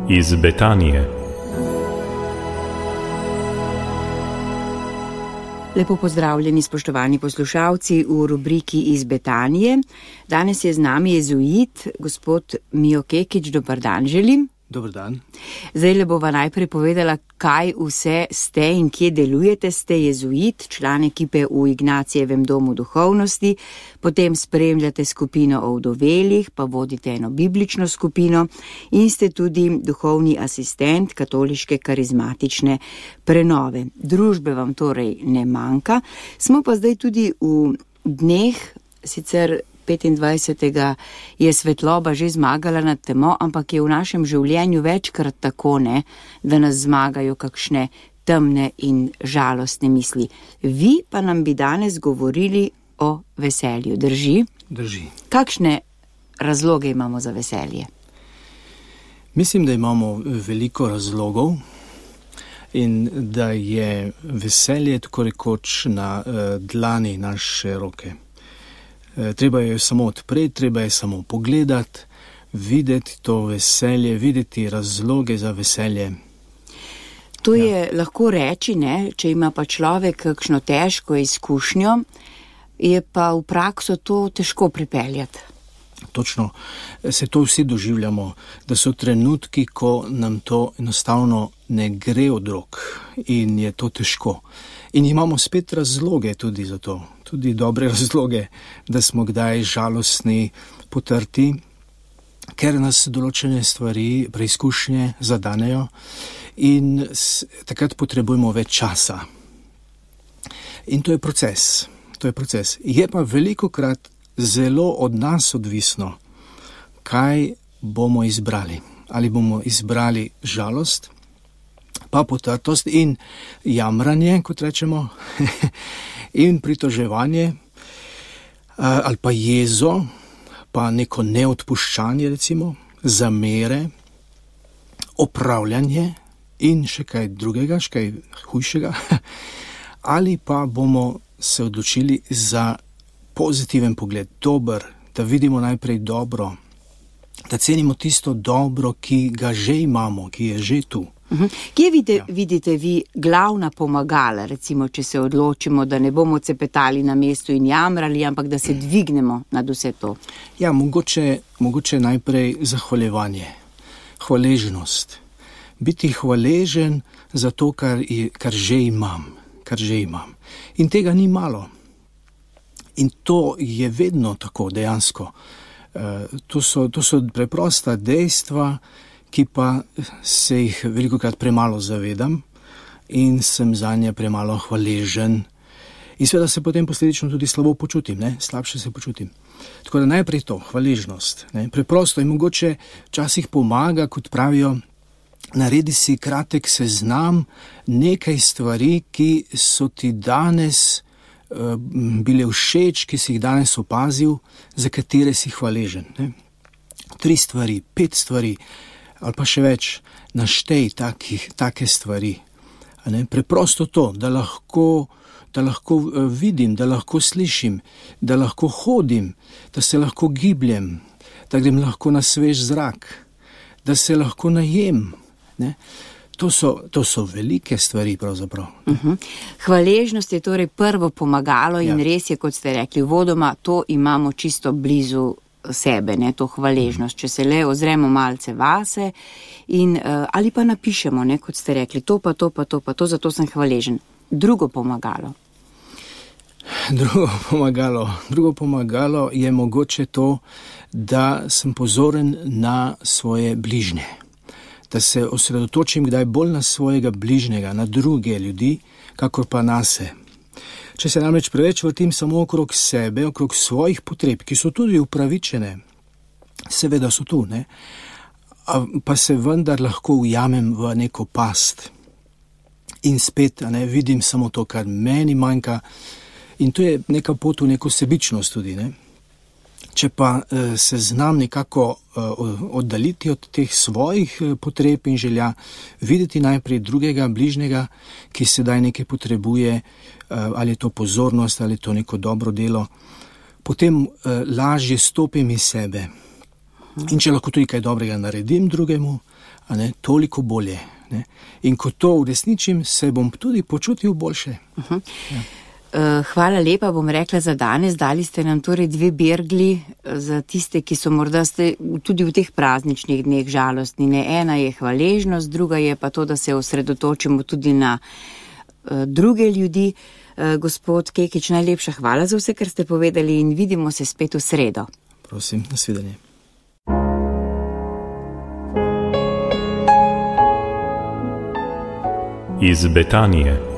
iz Betanije. Lepo pozdravljeni, spoštovani poslušalci v rubriki iz Betanije. Danes je z nami jezuit, gospod Mijo Kekič. Dobar dan želim. Dobar dan. Zdaj le bova najprej povedala, kaj vse ste in kje delujete. Ste jezuit, član ekipe v Ignacijevem domu duhovnosti, potem spremljate skupino o vdovelih, pa vodite eno biblično skupino in ste tudi duhovni asistent katoliške karizmatične prenove. Družbe vam torej ne manjka. Smo pa zdaj tudi v dneh, sicer 25. je svetloba že zmagala nad temo, ampak je v našem življenju večkrat tako, ne, da nas zmagajo kakšne temne in žalostne misli. Vi pa nam bi danes govorili o veselju, drži? Drži. Kakšne razloge imamo za veselje? Mislim, da imamo veliko razlogov in da je veselje tako rekoč na dlani naše roke. Treba je samo odpreti, treba je samo pogledati, videti to veselje, videti razloge za veselje. To je lahko reči, ne, če ima pa človek kakšno težko izkušnjo, je pa v prakso to težko pripeljati. Točno, se to vsi doživljamo, da so trenutki, ko nam to enostavno ne gre od rok in je to težko. In imamo spet razloge tudi za to, tudi dobre razloge, da smo kdaj žalostni, potrti, ker nas določene stvari, preizkušnje zadanejo in takrat potrebujemo več časa. In to je proces. Je pa velikokrat zelo od nas odvisno, kaj bomo izbrali. Ali bomo izbrali žalost, pa potrtost in jamranje, kot rečemo, in pritoževanje, ali pa jezo, pa neko neodpuščanje, recimo, zamere, opravljanje in še kaj drugega, še kaj hujšega, ali pa bomo se odločili za pozitiven pogled, dober, da vidimo najprej dobro, da cenimo tisto dobro, ki ga že imamo, ki je že tu. Kje vidite vi glavna pomagala, recimo, če se odločimo, da ne bomo cepetali na mestu in jamrali, ampak da se dvignemo nad vse to? Ja, mogoče najprej zahvaljevanje, hvaležnost. Biti hvaležen za to, kar že imam. In tega ni malo. In to je vedno tako dejansko. To so preprosta dejstva, ki pa se jih velikokrat premalo zavedam in sem zanje premalo hvaležen. In seveda se potem posledično tudi slabo počutim, slabše se počutim. Tako da najprej to, hvaležnost. Preprosto in mogoče včasih pomaga, kot pravijo, naredi si kratek seznam nekaj stvari, ki so ti danes bile všeč, ki si jih danes opazil, za katere si hvaležen. 3 stvari, 5 stvari, ali pa še več, naštej take stvari. Preprosto to, da lahko vidim, da lahko slišim, da lahko hodim, da se lahko gibljem, da grem lahko na svež zrak, da se lahko najem. To so velike stvari pravzaprav. Hvaležnost je torej prvo pomagalo in res je, kot ste rekli, vodoma to imamo čisto blizu sebe, to hvaležnost. Če se le ozremo malce vase in ali pa napišemo, kot ste rekli, to, zato sem hvaležen. Drugo pomagalo je mogoče to, da sem pozoren na svoje bližnje. Da se osredotočim kdaj bolj na svojega bližnjega, na druge ljudi, kakor pa nase. Če se namreč preveč vrtim samo okrog sebe, okrog svojih potreb, ki so tudi upravičene, seveda so tu, pa se vendar lahko ujamem v neko past. In spet vidim samo to, kar meni manjka. In to je neka pot v neko sebičnost tudi, Če pa se znam nekako oddaljiti od teh svojih potreb in želja, videti najprej drugega, bližnjega, ki sedaj nekaj potrebuje, ali je to pozornost, ali je to neko dobro delo, potem lažje stopim iz sebe In če lahko tudi kaj dobrega naredim drugemu, toliko bolje. Ne? In ko to uresničim, se bom tudi počutil boljše. Ja. Hvala lepa, bom rekla za danes. Dali ste nam torej 2 bergli za tiste, ki so morda tudi v teh prazničnih dneh žalostni. Ena je hvaležnost, druga je pa to, da se osredotočimo tudi na druge ljudi. Gospod Kekič, najlepša hvala za vse, kar ste povedali in vidimo se spet v sredo. Prosim, nasvidenje. Iz Betanije.